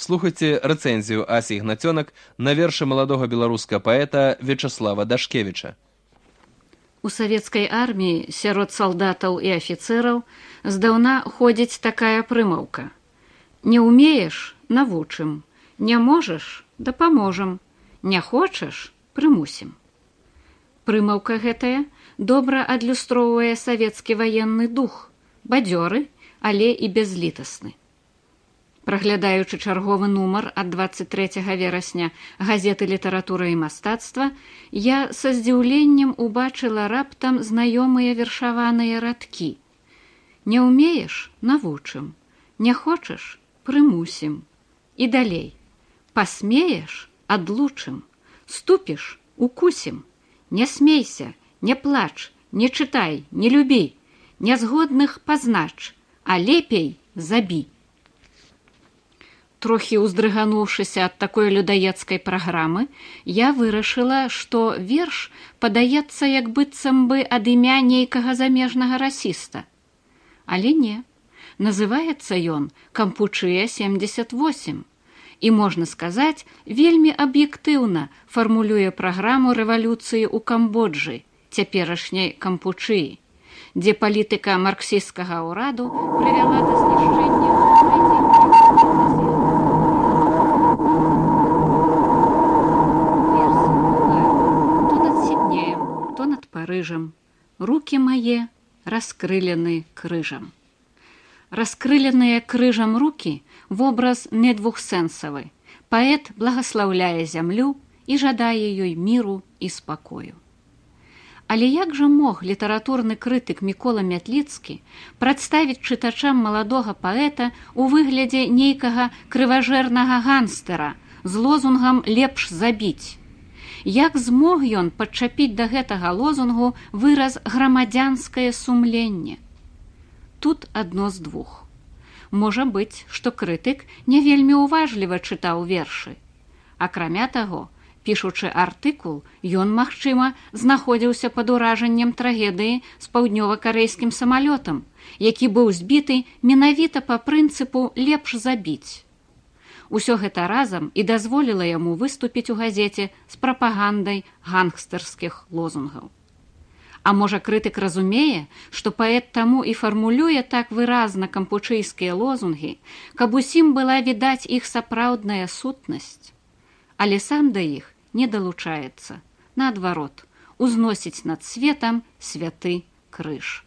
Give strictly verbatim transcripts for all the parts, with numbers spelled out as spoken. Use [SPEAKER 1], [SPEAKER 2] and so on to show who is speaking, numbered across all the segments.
[SPEAKER 1] Слухайце рэцэнзію Асі Ігнацёнак на вершы маладога беларускага паэта Вячаслава Дашкевіча.
[SPEAKER 2] У савецкай арміі сярод салдатаў і афіцэраў здаўна ходзіць такая прымаўка: не ўмееш — навучым, не можаш — дапаможам, не хочаш — прымусім. Прымаўка гэтая добра адлюстроўвае савецкі ваенны дух, бадзёры, але і бязлітасны. Праглядаючы чарговы нумар ад дваццаць трэцяга верасня газеты «Літаратура і мастацтва», я са здзіўленнем убачыла раптам знаёмыя вершаваныя радкі. Не ўмееш — навучым, не хочаш — прымусім. І далей: пасмееш — адлучым, ступіш — укусім, не смейся, не плач, не чытай, не любі, нязгодных пазнач, а лепей забі. Трохі ўздрыгануўшыся ад такой людаедскай праграмы, я вырашыла, што верш падаецца як быццам бы ад імя нейкага замежнага расіста. Але не, называецца ён «Кампучыя семьдесят восемь» і, можна сказаць, вельмі аб'ектыўна фармулюе праграму рэвалюцыі ў Камбоджы, цяперашняй Кампучыі, дзе палітыка марксісцкага ўраду прывяла да знішчэння Парыжам. Рукі мае раскрылены крыжам. Раскрыленыя крыжам рукі — вобраз не двухсэнсавы. Паэт благаслаўляе зямлю і жадае ёй міру і спакою. Але як жа мог літаратурны крытык Мікола Мятліцкі прадставіць чытачам маладога паэта ў выглядзе нейкага крыважэрнага ганстера з лозунгам «лепш забіць»? Як змог ён падчапіць да гэтага лозунгу выраз «грамадзянскае сумленне»? Тут адно з двух. Можа быць, што крытык не вельмі уважліва чытаў вершы. Акрамя таго, пішучы артыкул, ён, магчыма, знаходзіўся пад уражаннем трагедыі з паўднёва-карэйскім самалётам, які быў збіты менавіта па прынцыпу «лепш забіць». Усё гэта разам і дазволіла яму выступіць у газеце з прапагандай гангстэрскіх лозунгаў. А можа, крытык разумее, што паэт таму і фармулюе так выразна кампучыйскія лозунгі, каб усім была відаць іх сапраўдная сутнасць. Але сам да іх не далучаецца, наадварот, узносіць над светам святы крыж.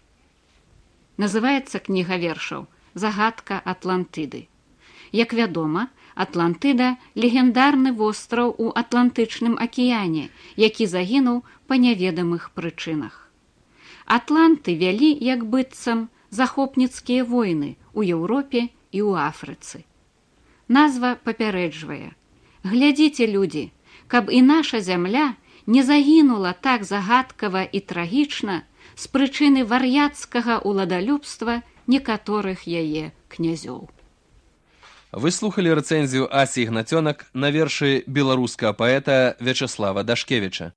[SPEAKER 2] Называецца кніга вершаў «Загадка Атлантыды». Як вядома, Атлантыда – легендарны востраў у Атлантычным акіяне, які загінуў па няведамых прычынах. Атланты вялі, як быццам, захопніцкія войны ў Еўропе і ў Афрыцы. Назва папярэджвае: глядзіце, людзі, каб і наша зямля не загінула так загадкава і трагічна з прычыны вар'яцкага ўладалюбства некаторых яе князёў.
[SPEAKER 1] Вы слухалі рэцэнзію Асі Ігнацёнак на вершы беларускага паэта Вячаслава Дашкевіча.